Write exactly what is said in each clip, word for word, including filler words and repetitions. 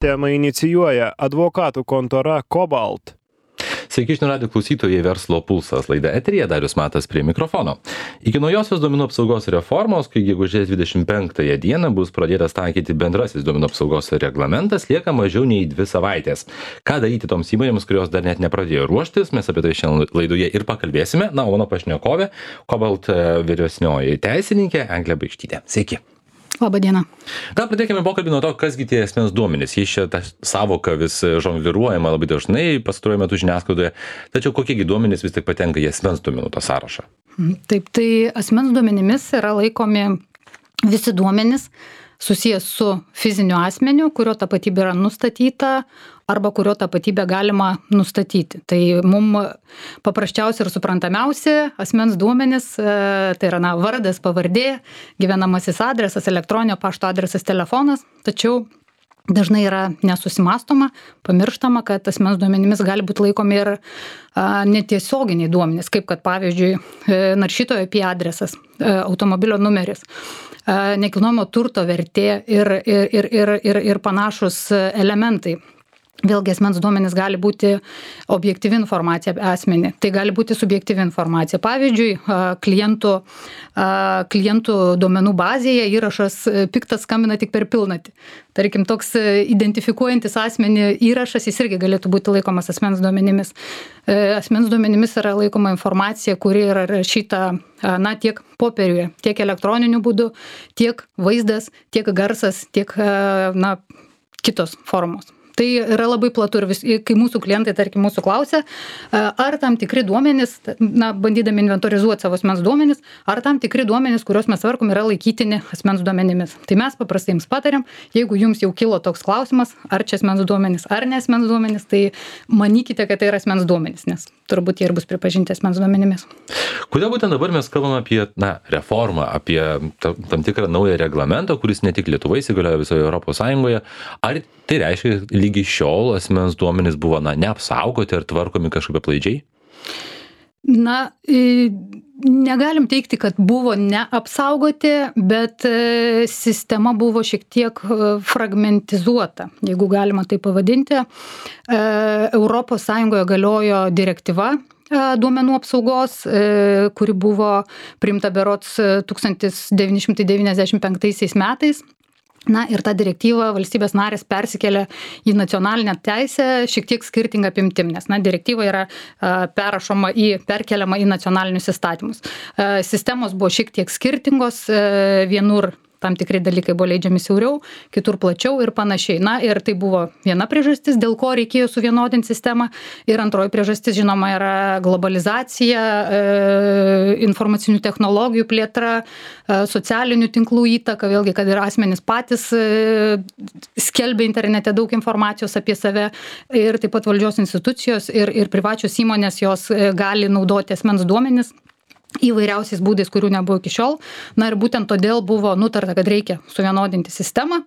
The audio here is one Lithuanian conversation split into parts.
Temą inicijuoja advokatų kontora Cobalt. Sveiki, žinių radijo klausytojai, Verslo pulsas laida eteryje, Darius Matas prie mikrofono. Iki naujosios duomenų apsaugos reformos, kai gegužės dvidešimt penktąją dieną bus pradėtas taikyti bendrasis duomenų apsaugos reglamentas, lieka mažiau nei dvi savaitės. Ką daryti toms įmonėms, kurios dar net nepradėjo ruoštis, mes apie tai šiandien laidoje ir pakalbėsime. Na, o mano pašnekovė, Cobalt vyresnioji teisininkė Eglė Baikštytė. Sveiki. Labą dieną. Gal pradėkime pokalbį nuo to, kasgi tie asmens duomenys. Jis čia ta savoka vis žongliruojama labai dažnai pastaruoju metu žiniasklaidoje. Tačiau kokiegi duomenys vis tik patenka į asmens duomenų tą sąrašą? Taip, tai asmens duomenimis yra laikomi visi duomenys susijęs su fiziniu asmeniu, kurio tapatybė yra nustatyta arba kurio tapatybę galima nustatyti. Tai mums paprasčiausia ir suprantamiausia asmens duomenys, tai yra na, vardas, pavardė, gyvenamasis adresas, elektroninio pašto adresas, telefonas, tačiau dažnai yra nesusimastoma, pamirštama, kad asmens duomenimis gali būti laikomi ir a, netiesioginiai duomenys, kaip kad pavyzdžiui naršytojo I P adresas, automobilio numeris, a, nekilnojamo turto vertė ir, ir, ir, ir, ir, ir panašus elementai. Vėlgi asmens duomenys gali būti objektyvi informacija apie asmenį, tai gali būti subjektyvi informacija. Pavyzdžiui, klientų, klientų duomenų bazėje įrašas piktas skambina tik per pilnatį. Tarkim, toks identifikuojantis asmenį įrašas, jis irgi galėtų būti laikomas asmens duomenimis. Asmens duomenimis yra laikoma informacija, kuri yra rašyta na, tiek popieriuje, tiek elektroniniu būdu, tiek vaizdas, tiek garsas, tiek na, kitos formos. Tai yra labai platu ir vis, kai mūsų klientai, tarkim, mūsų klausia, ar tam tikri duomenys, na, bandydami inventorizuoti savo asmens duomenys, ar tam tikri duomenys, kuriuos mes tvarkom, yra laikytini asmens duomenimis. Tai mes paprastai jums patariam, jeigu jums jau kilo toks klausimas, ar čia asmens duomenys, ar ne asmens duomenys, tai manykite, kad tai yra asmens duomenys, nes turbūt jie ir bus pripažinti asmens duomenimis. Kodėl būtent dabar mes kalbame apie na, reformą, apie tam, tam tikrą naują reglamentą, kuris ne tik Lietuvoje įsigalioja visoje Europos Sąjungoje, ar tai reiškia, lygi šiol asmens duomenys buvo na, neapsaugoti ar tvarkomi kažkaip aplaidžiai? Na, negalim teikti, kad buvo neapsaugoti, bet sistema buvo šiek tiek fragmentizuota, jeigu galima tai pavadinti. Europos Sąjungoje galiojo direktyva duomenų apsaugos, kuri buvo priimta berods tūkstantis devyni šimtai devyniasdešimt penktaisiais metais. Na ir tą direktyvą valstybės narės persikėlė į nacionalinę teisę šiek tiek skirtingą apimtim, nes na, direktyva yra a, perrašoma į, perkeliama į nacionalinius įstatymus. A, sistemos buvo šiek tiek skirtingos, a, vienur tam tikri dalykai buvo leidžiami siauriau, kitur plačiau ir panašiai. Na ir tai buvo viena priežastis, dėl ko reikėjo suvienodinti sistemą. Ir antroji priežastis, žinoma, yra globalizacija, e, informacinių technologijų plėtra, e, socialinių tinklų įtaka, vėlgi, kad ir asmenys patys e, skelbia internete daug informacijos apie save ir taip pat valdžios institucijos ir, ir privačios įmonės jos e, gali naudoti asmens duomenis įvairiausiais būdais, kurių nebuvo iki šiol. Na ir būtent todėl buvo nutarta, kad reikia suvienodinti sistemą,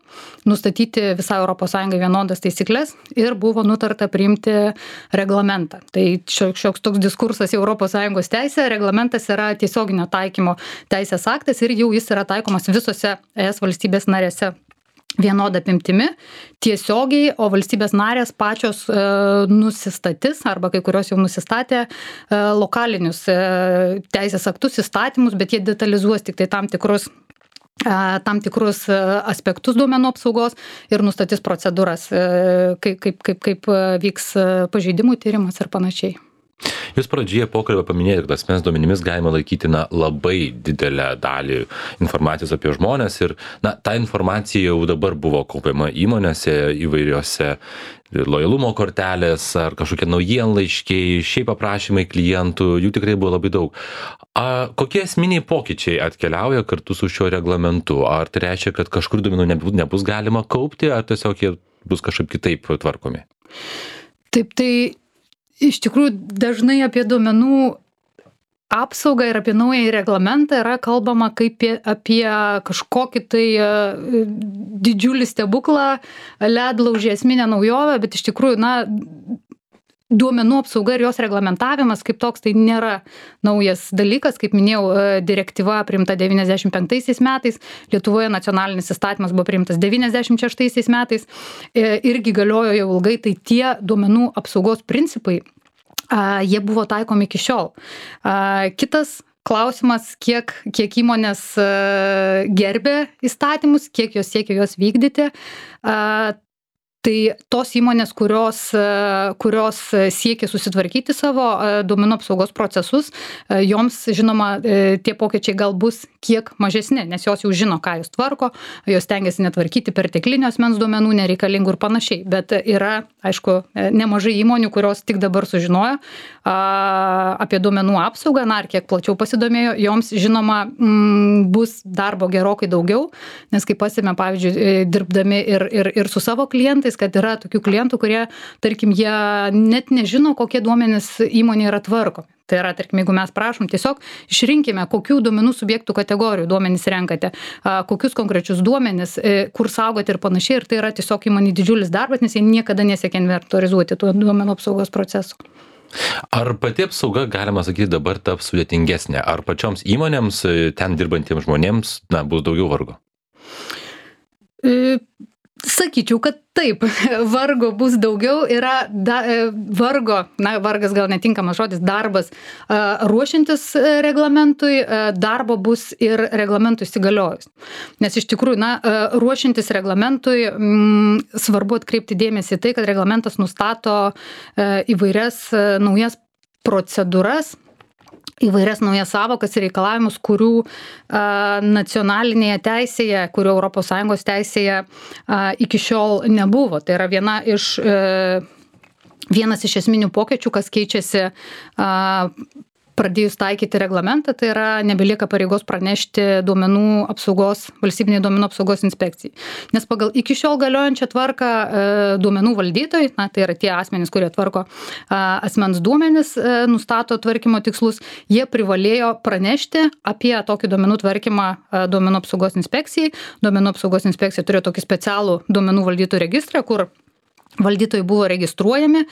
nustatyti visą Europos Sąjungą vienodas taisyklės ir buvo nutarta priimti reglamentą. Tai šioks toks diskursas į Europos Sąjungos teisę, reglamentas yra tiesioginio taikymo teisės aktas ir jau jis yra taikomas visose E S valstybės narėse vienodą apimtimi, tiesiogiai, o valstybės narės pačios e, nusistatys, arba kai kurios jau nusistatė, e, lokalinius e, teisės aktus, įstatymus, bet jie detalizuos tik tai tam tikrus, e, tam tikrus aspektus duomenų apsaugos ir nustatys procedūras, e, kaip, kaip, kaip, kaip vyks pažeidimų tyrimas ir panašiai. Jūs pradžioje pokalbio paminėjote, kad asmens duomenimis galima laikyti na, labai didelę dalį informacijos apie žmonės ir na, ta informacija jau dabar buvo kaupiama įmonėse įvairiose lojalumo kortelės ar kažkokie naujienlaiškiai, šiaip aprašymai klientų, jų tikrai buvo labai daug. A, kokie esminiai pokyčiai atkeliauja kartu su šiuo reglamentu? Ar tai reiškia, kad kažkur duomenų nebus, nebus galima kaupti, ar tiesiog jie bus kažkaip kitaip tvarkomi? Taip, tai iš tikrųjų dažnai apie duomenų apsaugą ir apie naują reglamentą yra kalbama kaip apie kažkokį tai didžiulį stebuklą, ledlaužį, esminę naujovę, bet iš tikrųjų, na, duomenų apsauga ir jos reglamentavimas kaip toks tai nėra naujas dalykas. Kaip minėjau, direktyva priimta devyniasdešimt penktaisiais metais, Lietuvoje nacionalinis įstatymas buvo priimtas devyniasdešimt šeštaisiais metais, irgi galiojo jau ilgai, tai tie duomenų apsaugos principai, jie buvo taikomi iki šiol. Kitas klausimas, kiek, kiek įmonės gerbė įstatymus, kiek jos siekia juos vykdyti. Tai tos įmonės, kurios, kurios siekia susitvarkyti savo duomenų apsaugos procesus, joms, žinoma, tie pokyčiai gal bus kiek mažesni, nes jos jau žino, ką jos tvarko, jos tengiasi netvarkyti perteklinių asmens duomenų, nereikalingų ir panašiai. Bet yra, aišku, nemažai įmonių, kurios tik dabar sužinojo apie duomenų apsaugą, na, ar kiek plačiau pasidomėjo, joms, žinoma, bus darbo gerokai daugiau, nes kaip pasime, pavyzdžiui, dirbdami ir, ir, ir su savo klientais, kad yra tokių klientų, kurie, tarkim, jie net nežino, kokie duomenys įmonė yra tvarkomi. Tai yra, tarkim, jeigu mes prašom, tiesiog išrinkime, kokių duomenų subjektų kategorijų duomenys renkate, kokius konkrečius duomenys, kur saugoti ir panašiai. Ir tai yra tiesiog įmonė didžiulis darbas, nes jie niekada nesiekia inventorizuoti tų duomenų apsaugos procesų. Ar pati apsauga, galima sakyti, dabar taps sudėtingesnė? Ar pačioms įmonėms, ten dirbantiems žmonėms, na, bus daugiau vargo? E... Sakyčiau, kad taip, vargo bus daugiau, yra da, vargo, na, vargas gal netinkamas žodis, darbas ruošiantis reglamentui, darbo bus ir reglamentui įsigaliojus. Nes iš tikrųjų, na, ruošiantis reglamentui m, svarbu atkreipti dėmesį į tai, kad reglamentas nustato įvairias naujas procedūras, įvairias naujas savokas ir reikalavimus, kurių a, nacionalinėje teisėje, kurių Europos Sąjungos teisėje a, iki šiol nebuvo. Tai yra viena iš, e, vienas iš esminių pokyčių, kas keičiasi a, pradėjus taikyti reglamentą, tai yra nebelieka pareigos pranešti duomenų apsaugos, valstybinė duomenų apsaugos inspekcijai. Nes pagal iki šiol galiojančią tvarką e, duomenų valdytojai, na, tai yra tie asmenys, kurie tvarko e, asmens duomenis, e, nustato tvarkymo tikslus, jie privalėjo pranešti apie tokį duomenų tvarkymą e, duomenų apsaugos inspekcijai. Duomenų apsaugos inspekcija turėjo tokį specialų duomenų valdytojų registrą, kur valdytojai buvo registruojami,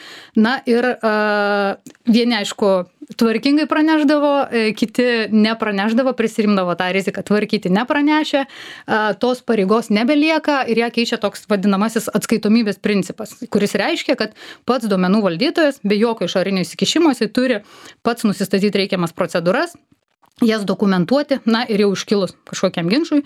na ir uh, vieni, aišku, tvarkingai praneždavo, kiti nepraneždavo, prisirimdavo tą riziką tvarkyti nepranešę, uh, tos pareigos nebelieka ir ją keičia toks vadinamasis atskaitomybės principas, kuris reiškia, kad pats duomenų valdytojas be jokio išorinio įsikišimo jisai turi pats nusistatyti reikiamas procedūras, jas dokumentuoti, na ir jau iškilus kažkokiam ginčui,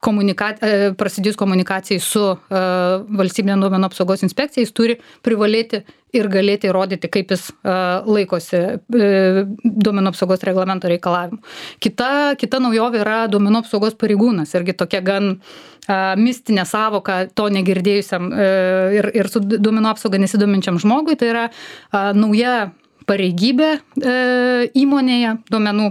komunika... prasidėjus komunikacijai su valstybinė duomenų apsaugos inspekcija, jis turi privalėti ir galėti įrodyti, kaip jis laikosi duomenų apsaugos reglamento reikalavimų. Kita, kita naujovė yra duomenų apsaugos pareigūnas, irgi tokia gan mistinė savoka to negirdėjusiam ir, ir su duomenų apsauga nesidominčiam žmogui, tai yra nauja pareigybė e, įmonėje, duomenų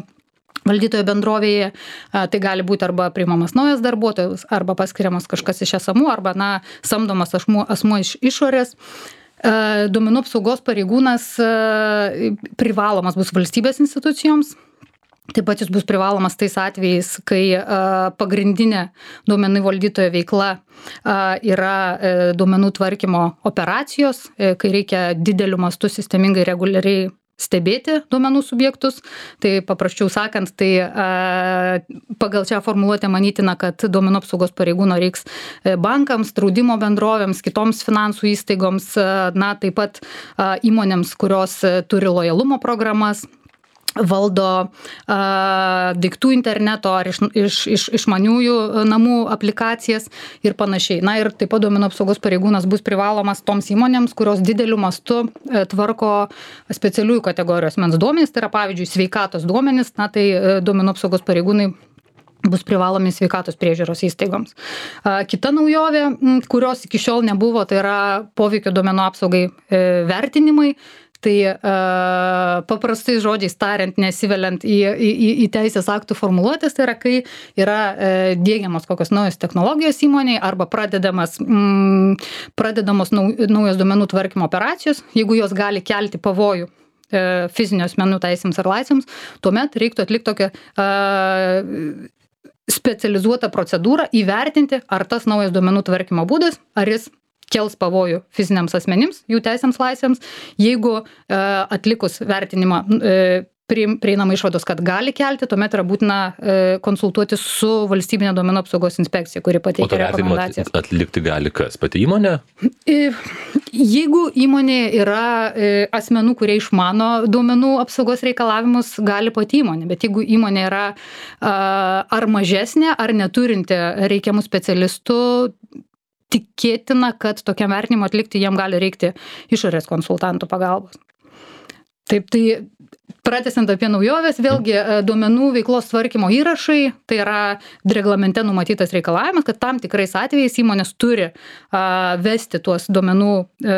valdytojo bendrovėje, a, tai gali būti arba priimamas naujas darbuotojas, arba paskiriamas kažkas iš esamų, arba, na, samdomas asmuo, asmuo iš išorės. E, duomenų apsaugos pareigūnas e, privalomas bus valstybės institucijoms. Taip pat jis bus privalomas tais atvejais, kai a, pagrindinė duomenų valdytojo veikla a, yra e, duomenų tvarkymo operacijos, e, kai reikia dideliu mastu sistemingai reguliariai stebėti duomenų subjektus. Tai paprasčiau sakant, tai a, pagal šią formuluotę manytina, kad duomenų apsaugos pareigūno reiks bankams, draudimo bendrovėms, kitoms finansų įstaigoms, a, na, taip pat a, įmonėms, kurios turi lojalumo programas, valdo a, daiktų interneto ar iš, iš, iš, išmaniųjų namų aplikacijas ir panašiai. Na ir taip pat duomenų apsaugos pareigūnas bus privalomas toms įmonėms, kurios dideliu mastu e, tvarko specialiųjų kategorijų asmens duomenys, tai yra pavyzdžiui sveikatos duomenys, na tai e, duomenų apsaugos pareigūnai bus privalomi sveikatos priežiūros įstaigoms. A, kita naujovė, kurios iki šiol nebuvo, tai yra poveikio duomenų apsaugai e, vertinimai. Tai uh, paprastai žodžiais tariant, nesiveliant į, į, į teisės aktų formuluotės, tai yra, kai yra uh, diegiamos kokios naujos technologijos įmonėje arba pradedamas, mm, pradedamos nau, naujos duomenų tvarkymo operacijos, jeigu jos gali kelti pavojų uh, fizinio asmenų teisėms ar laisvėms, tuomet reiktų atlikti tokią uh, specializuotą procedūrą, įvertinti, ar tas naujas duomenų tvarkymo būdas, ar jis kels pavojų fiziniams asmenims, jų teisėms laisvėms. Jeigu e, atlikus vertinimą e, prieinama išvados, kad gali kelti, tuomet yra būtina e, konsultuoti su valstybinė duomenų apsaugos inspekcija, kuri pateikia rekomendacijas. Atlikti gali kas? Pati įmonė? E, jeigu įmonė yra e, asmenų, kurie išmano duomenų apsaugos reikalavimus, gali pati įmonė, bet jeigu įmonė yra a, ar mažesnė, ar neturinti reikiamų specialistų, tikėtina, kad tokiam vertinimui atlikti jiem gali reikti išorės konsultantų pagalbos. Taip, tai pratęsiant apie naujoves, vėlgi duomenų veiklos tvarkymo įrašai, tai yra reglamente numatytas reikalavimas, kad tam tikrais atvejais įmonės turi a, vesti tuos duomenų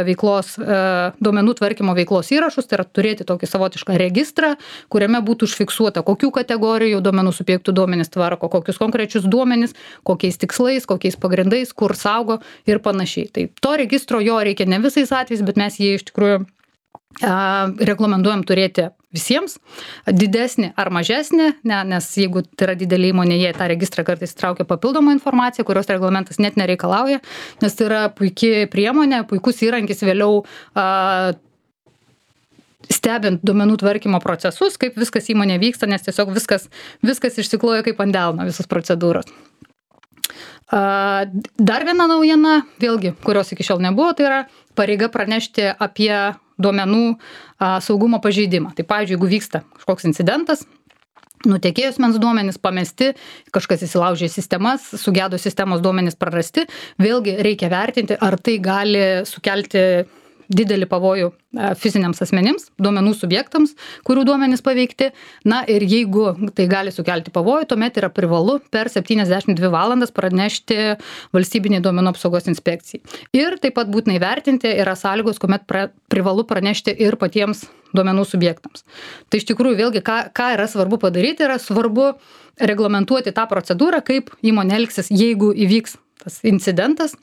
veiklos, a, duomenų tvarkymo veiklos įrašus, tai yra turėti tokį savotišką registrą, kuriame būtų užfiksuota, kokių kategorijų duomenų subjektų duomenys tvarko, kokius konkrečius duomenys, kokiais tikslais, kokiais pagrindais, kur saugo ir panašiai. Tai to registro jo reikia ne visais atvejais, bet mes jį iš tikrųjų rekomenduojam turėti visiems, didesnį ar mažesnį, ne, nes jeigu tai yra didelė įmonė, jie tą registrą kartais traukia papildomą informaciją, kurios reglamentas net nereikalauja, nes tai yra puikia priemonė, puikus įrankis vėliau a, stebint duomenų tvarkymo procesus, kaip viskas įmonė vyksta, nes tiesiog viskas, viskas išsikloja kaip ant delno, visos procedūros. A, dar viena naujiena, vėlgi, kurios iki šiol nebuvo, tai yra pareiga pranešti apie duomenų a, saugumo pažeidimą. Tai, pavyzdžiui, jeigu vyksta kažkoks incidentas, nutekėjus mens duomenys pamesti, kažkas įsilaužė sistemas, sugedo sistemos duomenys prarasti, vėlgi reikia vertinti, ar tai gali sukelti didelį pavojų fiziniams asmenims, duomenų subjektams, kurių duomenys paveikti. Na ir jeigu tai gali sukelti pavojų, tuomet yra privalu per septyniasdešimt dvi valandas pranešti valstybinei duomenų apsaugos inspekcijai. Ir taip pat būtinai vertinti yra sąlygos, kuomet pra, privalu pranešti ir patiems duomenų subjektams. Tai iš tikrųjų vėlgi, ką, ką yra svarbu padaryti, yra svarbu reglamentuoti tą procedūrą, kaip įmonė elgsis, jeigu įvyks tas incidentas.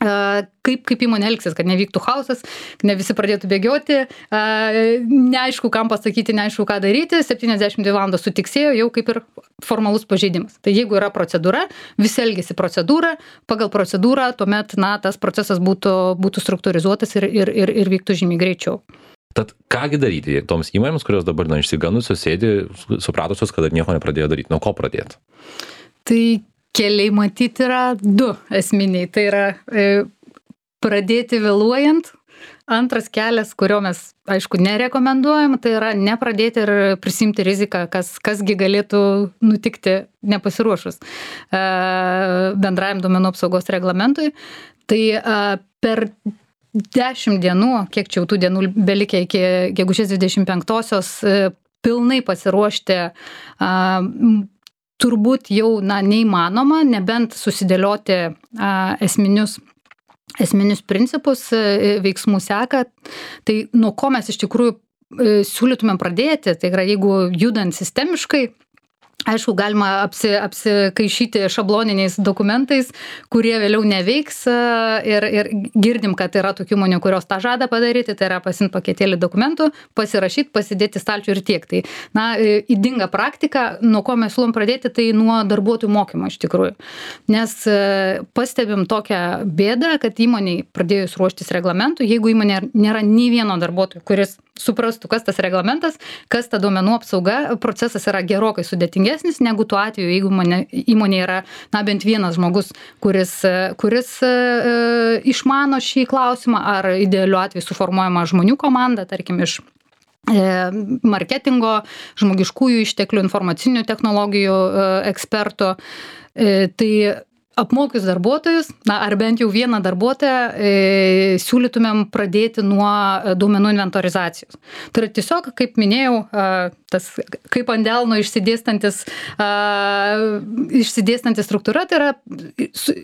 Kaip, kaip įmonė elgsis, kad nevyktų chaosas, ne visi pradėtų bėgioti, neaišku, kam pasakyti, neaišku, ką daryti, septyniasdešimt dvi valandos sutiksėjo, jau kaip ir formalus pažeidimas. Tai jeigu yra procedūra, visi elgiasi procedūrą, pagal procedūrą, tuomet, na, tas procesas būtų, būtų struktūrizuotas ir, ir, ir, ir vyktų žymiai greičiau. Tad kągi daryti toms įmonėms, kurios dabar, na, išsiganusios sėdi, supratusios, kad nieko nepradėjo daryti, nuo ko pradėti? Tai keliai matyti yra du esminiai. Tai yra e, pradėti vėluojant. Antras kelias, kurio mes, aišku, nerekomenduojam, tai yra nepradėti ir prisimti riziką, kas, kasgi galėtų nutikti nepasiruošus e, bendrajam duomenų apsaugos reglamentui. Tai e, per dešimt dienų, kiek čia jau tų dienų belikė iki gegužės dvidešimt penktosios, e, pilnai pasiruošti e, turbūt jau na, neįmanoma, nebent susidėlioti a, esminius, esminius principus, a, veiksmų seką. Tai nuo ko mes iš tikrųjų a, siūlytumėm pradėti, tai yra jeigu judant sistemiškai, aišku, galima apsi, apsikaišyti šabloniniais dokumentais, kurie vėliau neveiks ir, ir girdim, kad yra tokių įmonių, kurios tą žada padaryti, tai yra pasiimti paketėlį dokumentų, pasirašyti, pasidėti stalčių ir tiek. Tai, na, ydinga praktika, nuo ko mes siūlom pradėti, tai nuo darbuotojų mokymo iš tikrųjų. Nes pastebim tokią bėdą, kad įmoniai pradėjus ruoštis reglamentų, jeigu įmonė nėra nei vieno darbuotojo, kuris suprastų, kas tas reglamentas, kas ta duomenų apsauga, procesas yra gerokai sudėtingesnis negu tuo atveju, jeigu mane, įmonė yra na, bent vienas žmogus, kuris, kuris e, išmano šį klausimą, ar idealiu atveju suformuojama žmonių komanda, tarkim, iš e, marketingo, žmogiškųjų išteklių, informacinių technologijų e, ekspertų. E, tai apmokius darbuotojus, na, ar bent jau vieną darbuotoją, e, siūlytumėm pradėti nuo duomenų inventorizacijos. Tai yra tiesiog, kaip minėjau, e, tas kaip ant delno išsidėstantis, e, išsidėstantis struktūra, tai yra su,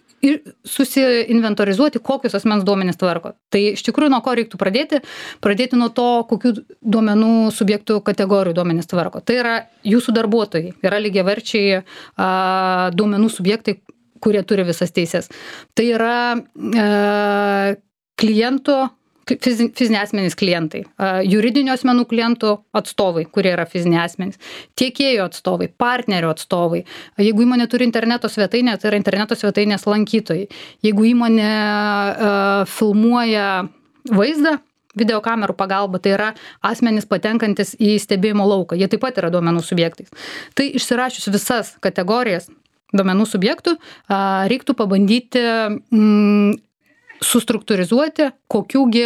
susiinventorizuoti, kokius asmens duomenys tvarko. Tai iš tikrųjų nuo ko reiktų pradėti? Pradėti nuo to, kokių duomenų subjektų kategorijų duomenys tvarko. Tai yra jūsų darbuotojai, yra lygiaverčiai e, duomenų subjektai, kurie turi visas teises. Tai yra e, kliento fiziniai asmenys klientai, juridinių asmenų klientų atstovai, kurie yra fiziniai asmenys, tiekėjų atstovai, partnerių atstovai. Jeigu įmonė turi interneto svetainę, tai yra interneto svetainės lankytojai. Jeigu įmonė uh, filmuoja vaizdą, videokamerų pagalba, tai yra asmenys patenkantis į stebėjimo lauką. Jie taip pat yra duomenų subjektais. Tai išsirašius visas kategorijas duomenų subjektų, uh, reiktų pabandyti mm, sustruktūrizuoti, kokiųgi,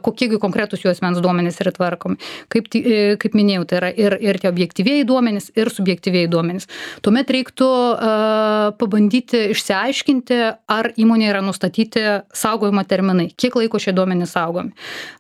kokiegi konkretus jų asmens duomenys yra tvarkomi. Kaip, kaip minėjau, tai yra ir, ir tie objektyvieji duomenys, ir subjektyvieji duomenys. Tuomet reiktų uh, pabandyti išsiaiškinti, ar įmonė yra nustatyti saugojimo terminai, kiek laiko šie duomenys saugomi.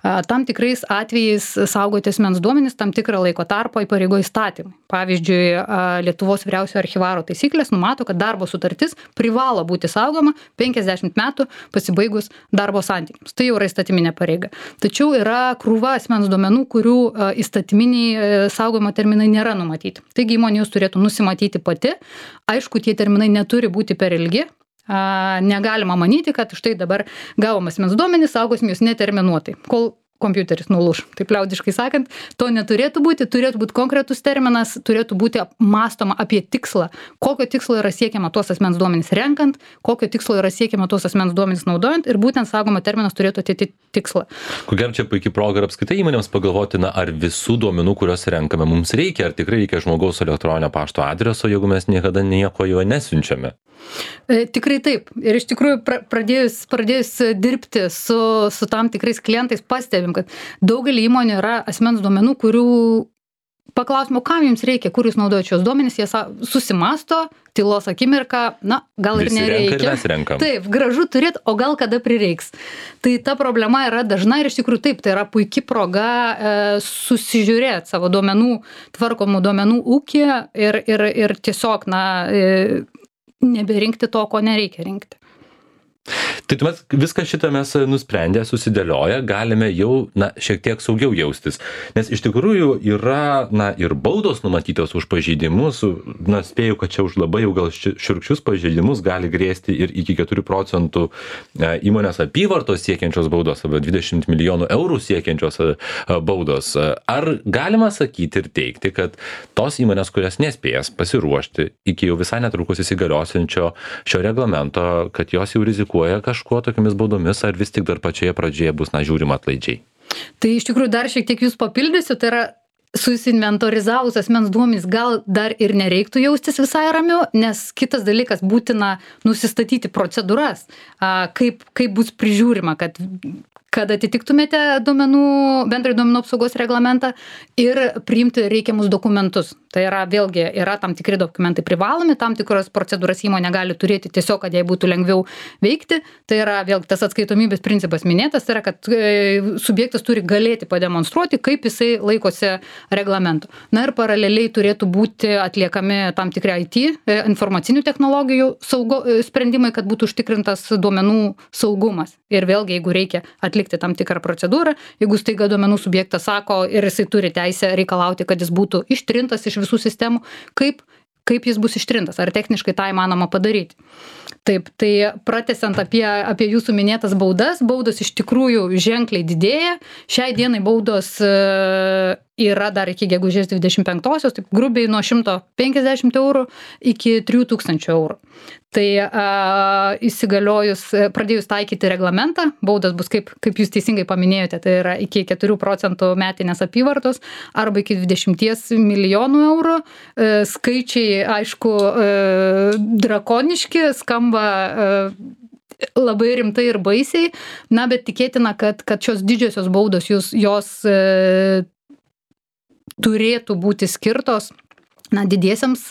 Uh, tam tikrais atvejais saugoti asmens duomenys tam tikrą laiko tarpą įpareigoja įstatymai. Pavyzdžiui, uh, Lietuvos vyriausiojo archyvaro taisyklės numato, kad darbo sutartis privalo būti saugoma penkiasdešimt metų pasibaigus darbo santykiams. Tai jau yra įstatyminė pareiga. Tačiau yra krūva asmens duomenų, kurių įstatyminiai saugojimo terminai nėra numatyti. Taigi įmonė jūs turėtų nusimatyti pati. Aišku, tie terminai neturi būti per ilgi. Negalima manyti, kad štai dabar gavom asmens duomenys, saugosim jūs neterminuotai. Kol kompiuteris nulūš, taip liaudiškai sakant, to neturėtų būti, turėtų būti konkretus terminas, turėtų būti mąstoma apie tikslą, kokio tikslo yra siekiama tuos asmens duomenys renkant, kokio tikslo yra siekiama tuos asmens duomenys naudojant ir būtent saugomo terminas turėtų atitikti tikslą. Ko gero čia puikiai proga ir apskritai įmonėms pagalvoti, na, ar visų duomenų, kuriuos renkame, mums reikia, ar tikrai reikia žmogaus elektroninio pašto adreso, jeigu mes niekada nieko jo nesiunčiame. Tikrai taip. Ir iš tikrųjų pradėjus, pradėjus dirbti su, su tam tikrais klientais pastebim, kad daugelį įmonių yra asmens duomenų, kurių paklausimo, kam jums reikia, kur jūs naudojate šios duomenys, jie susimasto, tylos akimirką, na, gal ir Visi nereikia. Renka ir mes renkam. Taip, gražu turėti, o gal kada prireiks. Tai ta problema yra dažna ir iš tikrųjų taip, tai yra puikia proga e, susižiūrėti savo duomenų, tvarkomų duomenų ūkį ir, ir, ir tiesiog, na, e, neberinkti to, ko nereikia rinkti. Tai tuomet viską šitą mes nusprendę, susidėlioję, galime jau, na, šiek tiek saugiau jaustis. Nes iš tikrųjų yra, na, ir baudos numatytos už pažeidimus, na, spėju, kad čia už labai jau gal šiurkščius pažeidimus gali grėsti ir iki keturių procentų įmonės apyvartos siekiančios baudos, arba dvidešimt milijonų eurų siekiančios baudos. Ar galima sakyti ir teigti, kad tos įmonės, kurias nespės pasiruošti iki jau visai netrukus įsigaliosiančio šio reglamento, kad jos jau rizikuoja kažkuo tokiamis baudomis, ar vis tik dar pačioje pradžioje bus, na, žiūrima atlaidžiai? Tai iš tikrųjų dar šiek tiek jūs papildysiu, tai yra susinventorizavus asmens duomenys gal dar ir nereiktų jaustis visai ramiau, nes kitas dalykas būtina nusistatyti procedūras, kaip, kaip bus prižiūrima, kad kad atitiktumėte duomenų, bendrai duomenų apsaugos reglamentą ir priimti reikiamus dokumentus. Tai yra vėlgi, yra tam tikri dokumentai privalomi, tam tikros procedūras įmonė gali turėti tiesiog, kad jai būtų lengviau veikti. Tai yra vėlgi tas atskaitomybės principas minėtas, tai yra, kad subjektas turi galėti pademonstruoti, kaip jisai laikosi reglamento. Na ir paraleliai turėtų būti atliekami tam tikri I T, informacinių technologijų saugo, sprendimai, kad būtų užtikrintas duomenų saugumas. Ir vėlgi, jeigu reikia atlikti tam tikrą procedūrą, jeigu staiga duomenų subjektas sako ir jisai turi teisę reikalauti, kad jis būtų ištrintas iš visų sistemų, kaip, kaip jis bus ištrintas, ar techniškai tą įmanoma padaryti. Taip, tai pratęsiant apie, apie jūsų minėtas baudas, baudos iš tikrųjų ženkliai didėja. Šiai dienai baudos yra dar iki gegužės dvidešimt penktosios, taip grubiai nuo šimto penkiasdešimt eurų iki trijų tūkstančių eurų. Tai a, įsigaliojus, pradėjus taikyti reglamentą, baudas bus, kaip, kaip jūs teisingai paminėjote, tai yra iki keturių procentų metinės apyvartos arba iki dvidešimt milijonų eurų. E, skaičiai, aišku, e, drakoniški, skamba e, labai rimtai ir baisiai, na, bet tikėtina, kad, kad šios didžiosios baudos jūs, jos e, turėtų būti skirtos na, didiesiams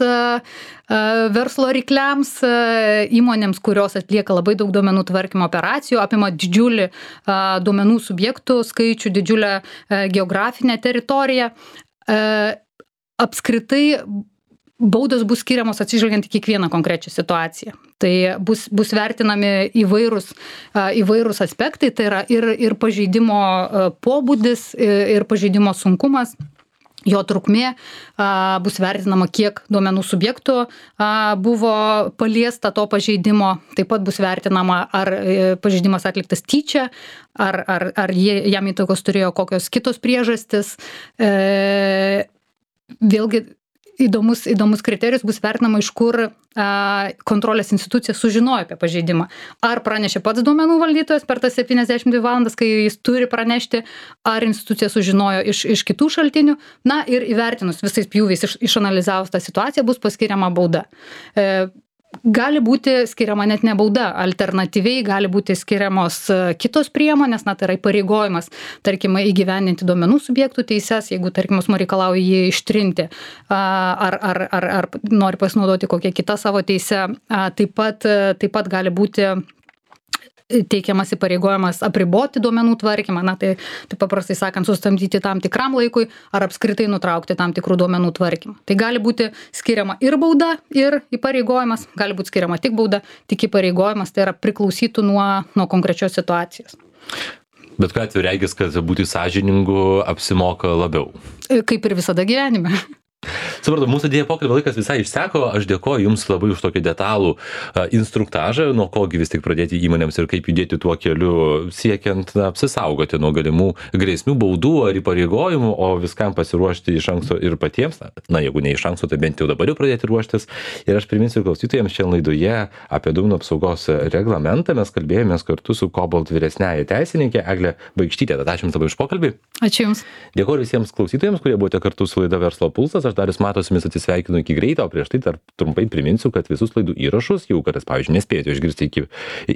verslo rykliams, įmonėms, kurios atlieka labai daug duomenų tvarkymo operacijų, apima didžiulį duomenų subjektų skaičių, didžiulę geografinę teritoriją. Apskritai baudos bus skiriamos atsižvelgiant į kiekvieną konkrečią situaciją. Tai bus, bus vertinami įvairūs, įvairūs aspektai, tai yra ir, ir pažeidimo pobūdis, ir pažeidimo sunkumas. Jo trukmė a, bus vertinama, kiek duomenų subjektų a, buvo paliesta to pažeidimo. Taip pat bus vertinama, ar e, pažeidimas atliktas tyčia, ar, ar, ar jie, jam įtakos turėjo kokios kitos priežastis. E, vėlgi įdomus, įdomus kriterijus bus vertinama, iš kur a, kontrolės institucija sužinojo apie pažeidimą. Ar pranešė pats duomenų valdytojas per tas septyniasdešimt dvi valandas, kai jis turi pranešti, ar institucija sužinojo iš, iš kitų šaltinių. Na ir įvertinus visais pjūviais, iš, išanalizavus tą situaciją, bus paskiriama bauda. E, Gali būti skiriama net ne bauda, alternatyviai gali būti skiriamos kitos priemonės, na tai yra įpareigojimas, tarkim, įgyvendinti duomenų subjektų teises, jeigu, tarkim, asmuo reikalauja jį ištrinti, ar, ar, ar, ar nori pasinaudoti kokią kitą savo teisę, taip pat, taip pat gali būti teikiamas įpareigojimas apriboti duomenų tvarkymą, na tai, tai paprastai sakant, sustabdyti tam tikram laikui ar apskritai nutraukti tam tikrų duomenų tvarkymą. Tai gali būti skiriama ir bauda, ir įpareigojimas, gali būti skiriama tik bauda, tik įpareigojimas, tai yra priklausytų nuo, nuo konkrečios situacijos. Bet ką atveju regis, kad būti sąžiningu apsimoka labiau. Kaip ir visada gyvenime. Supratau, mūsų dėja pokalbio laikas visai išseko, aš dėkoju Jums labai už tokį detalų a, instruktažą, nuo kogi vis tik pradėti įmonėms ir kaip judėti tuo keliu, siekiant na, apsisaugoti nuo galimų grėsmių, baudų ar įpareigojimų, o viskam pasiruošti iš anksto ir patiems, na, na jeigu ne iš anksto, tai bent jau dabar jau pradėti ruoštis. Ir aš priminsiu klausytojams šiandien laidoje apie duomenų apsaugos reglamentą, mes kalbėjomės kartu su Cobalt vyresniąja teisininkė Egle Baikštytė. Tad ačiū Jums labai už pokalbį. Ačiū Jums. Dėkoju visiems klausytojams, kurie buvote kartu su laida Verslo pulsas. Aš Darius Matas su jumis atsisveikinu iki greito, o prieš tai dar trumpai priminsiu, kad visus laidų įrašus, jau kartais, pavyzdžiui, nespėjote išgirsti iki,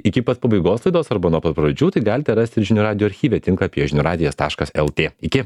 iki pat pabaigos laidos arba nuo pat pradžių, tai galite rasti ir žinių radijo archyve tinklapyje žinių radijas taškas lt. Iki.